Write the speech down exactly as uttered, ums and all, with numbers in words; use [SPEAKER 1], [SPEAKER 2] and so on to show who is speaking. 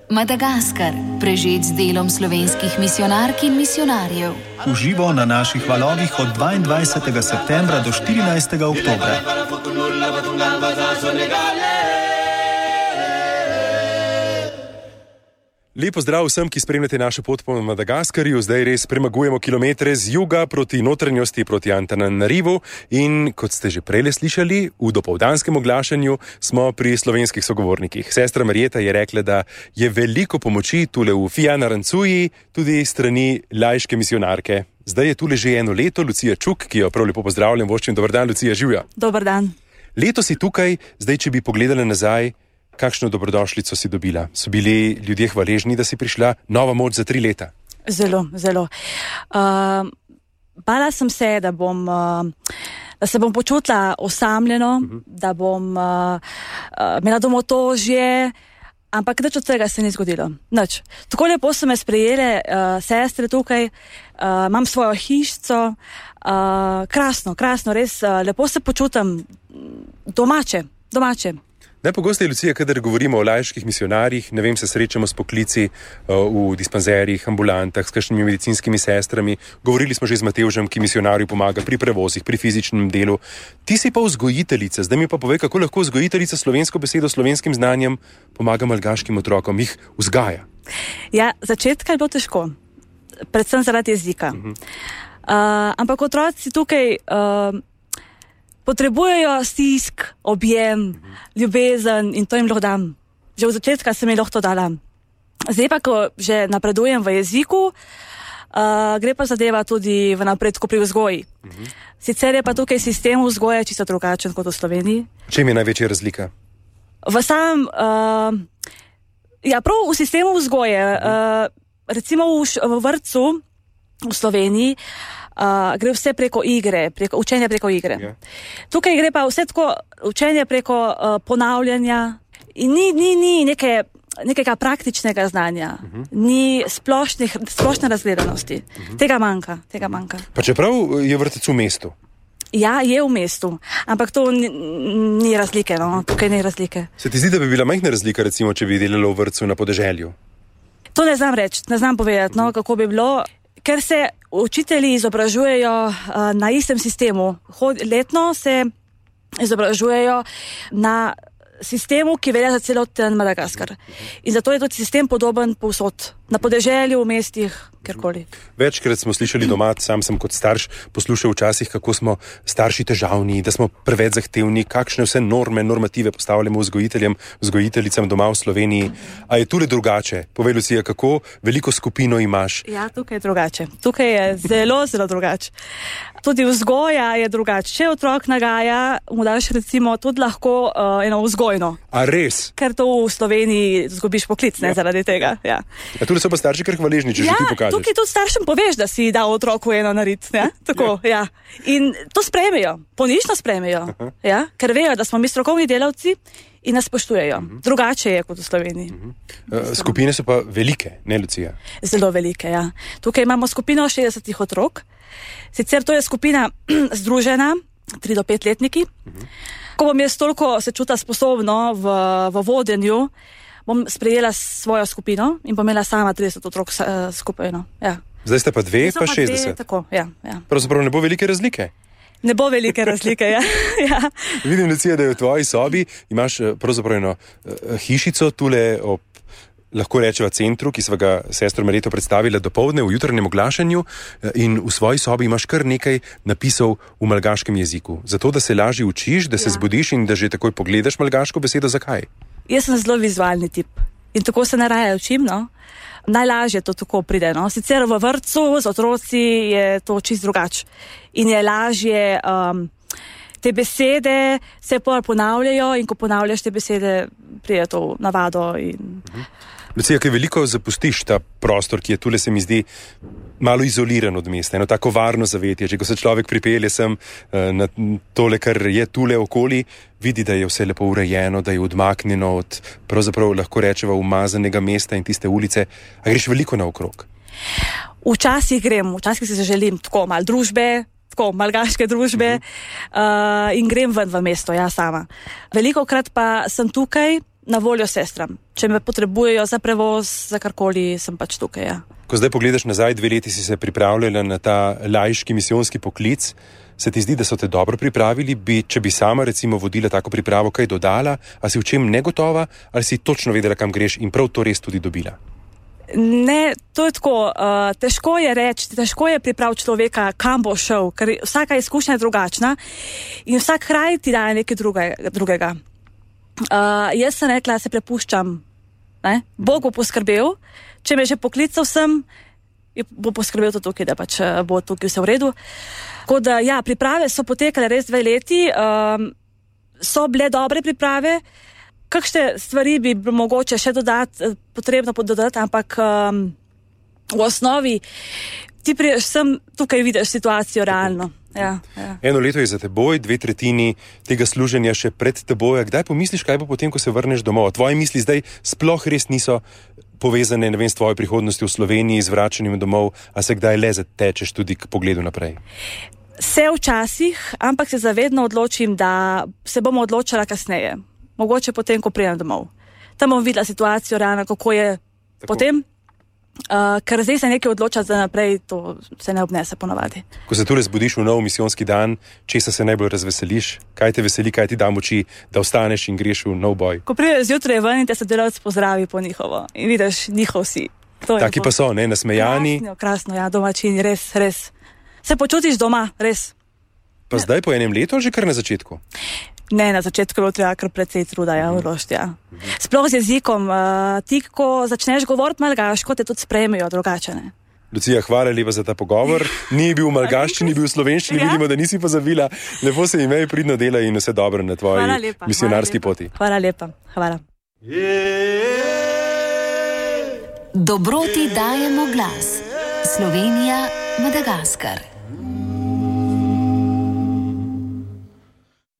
[SPEAKER 1] Madagaskar, prežet z delom slovenskih misijonark in misijonarjev.
[SPEAKER 2] V živo na naših valovih od dvaindvajsetega septembra do štirinajstega oktobra.
[SPEAKER 3] Lep pozdrav vsem, ki spremljate našo pot po Madagaskarju. Zdaj res premagujemo kilometre z juga proti notranjosti, proti Antananarivu in, kot ste že prej slišali, v dopoldanskem oglašanju smo pri slovenskih sogovornikih. Sestra Marjeta je rekla, da je veliko pomoči tule v Fianarancuji, tudi strani laiške misijonarke. Zdaj je tule že eno leto Lucija Čuk, ki jo prav lepo pozdravljam. Voščim, dober dan, Lucija, živja.
[SPEAKER 4] Dober dan.
[SPEAKER 3] Leto si tukaj, zdaj, če bi pogledala nazaj, kakšno dobrodošlico si dobila? So bili ljudje hvaležni, da si prišla? Nova moč za tri leta.
[SPEAKER 4] Zelo, zelo. Uh, bala sem se, da bom, uh, da se bom počutila osamljeno, uh-huh. da bom uh, uh, imela domotožje, ampak nič od tega se ni zgodilo. Nič. Tako lepo so me sprejele uh, sestre tukaj, uh, imam svojo hišico, uh, krasno, krasno, res uh, lepo se počutam domače, domače.
[SPEAKER 3] Najpogosteje, Lucija, kadar govorimo o laiških misijonarjih, ne vem, se srečamo s poklici uh, v dispanzerjih, ambulantah, s kakšnimi medicinskimi sestrami. Govorili smo že z Matevžem, ki misijonarju pomaga pri prevozih, pri fizičnem delu. Ti si pa vzgojiteljica. Zdaj mi pa povej, kako lahko vzgojiteljica slovensko besedo, slovenskim znanjem pomaga malgaškim otrokom, jih vzgaja.
[SPEAKER 4] Ja, začetka je bilo težko. Predvsem zaradi jezika. Uh-huh. Uh, ampak otroci tukaj... Uh, potrebujejo stisk, objem, ljubezen in to jim lahko dam. Že v začetka sem jim lahko to dala. Zdaj pa, ko že napredujem v jeziku, uh, gre pa zadeva tudi v napredku pri vzgoji. Uh-huh. Sicer je pa tukaj sistem vzgoje čisto drugačen kot v Sloveniji.
[SPEAKER 3] Čem je največja razlika?
[SPEAKER 4] V samem, uh, ja, prav v sistemu vzgoje, uh-huh. uh, recimo v, v vrtcu v Sloveniji, Uh, gre vse preko igre, preko učenja preko igre. Yeah. Tukaj gre pa vse tako učenje preko uh, ponavljanja in ni, ni, ni neke, nekega praktičnega znanja, uh-huh. ni splošnih, splošne razgledanosti. Uh-huh. Tega manjka, tega manjka.
[SPEAKER 3] Pa čeprav je vrtec v mestu?
[SPEAKER 4] Ja, je v mestu, ampak to ni, ni razlike, no, tukaj ni razlike.
[SPEAKER 3] Se ti zdi, da bi bila majhna razlika, recimo, če bi delala v vrtcu na podeželju?
[SPEAKER 4] To ne znam reči, ne znam povedati, no, kako bi bilo. Ker se učitelji izobražujejo uh, na istem sistemu. Hod, letno se izobražujejo na sistemu, ki velja za celoten Madagaskar. In zato je tudi sistem podoben povsod. Na podeželju, v mestih, kjerkoli.
[SPEAKER 3] Večkrat smo slišali doma, sam sem kot starš poslušal včasih, kako smo starši težavni, da smo preveč zahtevni, kakšne vse norme, normative postavljamo vzgojiteljem, vzgojiteljicam doma v Sloveniji. A je tule drugače? Povej, Lucija, kako veliko skupino imaš?
[SPEAKER 4] Ja, tukaj je drugače. Tukaj je zelo, zelo drugače. Tudi vzgoja je drugače. Če otrok nagaja, mu daš recimo tudi lahko uh, eno vzgojno.
[SPEAKER 3] A res?
[SPEAKER 4] Ker to v Sloveniji zgubiš poklic, ne, ja. zaradi tega. Ja.
[SPEAKER 3] A tule so pa starši kar hvaležni, če
[SPEAKER 4] ja,
[SPEAKER 3] že ti pokažeš.
[SPEAKER 4] Tukaj tudi staršem poveš, da si dal otroku eno narit. Ja? Tako, ja. Ja. In to sprejmejo, ponišno sprejmejo, ja? Ker vejo, da smo mi strokovni delavci in nas spoštujejo. Uh-huh. Drugače je kot v Sloveniji.
[SPEAKER 3] Uh-huh. Skupine so pa velike, ne, Lucija?
[SPEAKER 4] Zelo velike, ja. Tukaj imamo skupino šestdesetih otrok. Sicer to je skupina združena, tri do pet letniki. Uh-huh. Ko bom jaz toliko se čuta sposobno v, v vodenju, bom sprejela svojo skupino in bom imela sama trideset otrok uh, skupaj. No. Ja.
[SPEAKER 3] Zdaj ste pa dve, pa šestdeset.
[SPEAKER 4] Dve, tako, ja, ja.
[SPEAKER 3] Pravzaprav ne bo velike razlike?
[SPEAKER 4] Ne bo velike razlike, ja. ja.
[SPEAKER 3] Vidim, Lucija, da je v tvoji sobi, imaš pravzaprav eno uh, hišico tule ob, lahko rečeva, centru, ki sva ga sestro Marjeto predstavila dopoldne v jutranjem oglašanju, in v svoji sobi imaš kar nekaj napisov v malgaškem jeziku. Zato, da se lažje učiš, da se ja. zbudiš in da že takoj pogledaš malgaško besedo. Zakaj?
[SPEAKER 4] Jaz sem zelo vizualni tip in tako se najraje učim, no. Najlažje to tako pride, no. Sicer v vrtcu z otroci je to čisto drugače in je lažje, um, te besede se ponavljajo in ko ponavljaš te besede, pride to navado in... Uh-huh.
[SPEAKER 3] Lucija, kaj veliko zapustiš ta prostor, ki je tule, se mi zdi, malo izoliran od mesta, eno tako varno zavetje. Če ko se človek pripelje sem na tole, kar je tule okoli, vidi, da je vse lepo urejeno, da je odmaknjeno od, pravzaprav lahko rečeva, umazanega mesta in tiste ulice. A greš veliko naokrog?
[SPEAKER 4] Včasih grem, včasih se želim tako malo družbe, tako malgaške družbe uh, in grem ven v mesto, ja sama. Veliko krat pa sem tukaj na voljo sestram. Če me potrebujejo za prevoz, za karkoli, sem pač tukaj, ja.
[SPEAKER 3] Ko zdaj pogledaš nazaj, dve leti si se pripravljala na ta laiški misijonski poklic, se ti zdi, da so te dobro pripravili? Bi, če bi sama recimo vodila tako pripravo, kaj dodala? A si v čem negotova? Ali si točno vedela, kam greš in prav to res tudi dobila?
[SPEAKER 4] Ne, to je tako. Uh, težko je reči, težko je pripraviti človeka, kam bo šel, ker vsaka izkušnja je drugačna in vsak kraj ti daje nekaj druge, drugega. Uh, jaz sem rekla, se prepuščam. Ne? Bog bo poskrbel, če me že poklical sem, bo poskrbel to tukaj, da pač bo tukaj vse v redu. Tako da, ja, priprave so potekale res dve leti, um, so bile dobre priprave, kakšne stvari bi mogoče še dodati, potrebno dodati, ampak um, v osnovi ti priješ sem, tukaj vidiš situacijo realno. Ja, ja. Eno
[SPEAKER 3] leto je za teboj, dve tretjini tega služenja še pred teboj. Kdaj pomisliš, kaj bo potem, ko se vrneš domov? Tvoje misli zdaj sploh res niso povezane, ne vem, s tvojo prihodnostjo v Sloveniji, z vračanjem domov, a se kdaj le zatečeš tudi k pogledu naprej?
[SPEAKER 4] Se včasih, ampak se zavedno odločim, da se bom odločila kasneje. Mogoče potem, ko pridem domov. Tam bom videla situacijo realno, kako je tako potem. Uh, ker zdaj se nekaj odloča za naprej, to se ne obnese ponovadi.
[SPEAKER 3] Ko se tule zbudiš v nov misijonski dan, česa se najbolj razveseliš? Kaj te veseli, kaj ti da moči, da ostaneš in greš v nov boj?
[SPEAKER 4] Ko prideš zjutraj ven in te sodelavec pozdravi po njihovo in vidiš njihov si.
[SPEAKER 3] Taki pa so, ne, nasmejani.
[SPEAKER 4] Krasno, krasno, ja, domačini, res, res. Se počutiš doma, res.
[SPEAKER 3] Pa ja. Zdaj po enem letu, že kar na začetku?
[SPEAKER 4] Ne, na začetku je treba kar precej truda, ja, vložiti, ja. Sploh z jezikom, uh, ti, ko začneš govoriti malgaško, te tudi sprejmejo drugačene.
[SPEAKER 3] Lucija, hvala lepa za ta pogovor. Ni bil v malgaščini, ni bil v slovenščini, ja? Vidimo, da nisi pozabila. Lepo se imej, pridno dela in vse dobro na tvoji lepa, misionarski
[SPEAKER 4] hvala
[SPEAKER 3] poti.
[SPEAKER 4] Hvala lepa, hvala.
[SPEAKER 1] Dobroti dajemo glas. Slovenija, Madagaskar.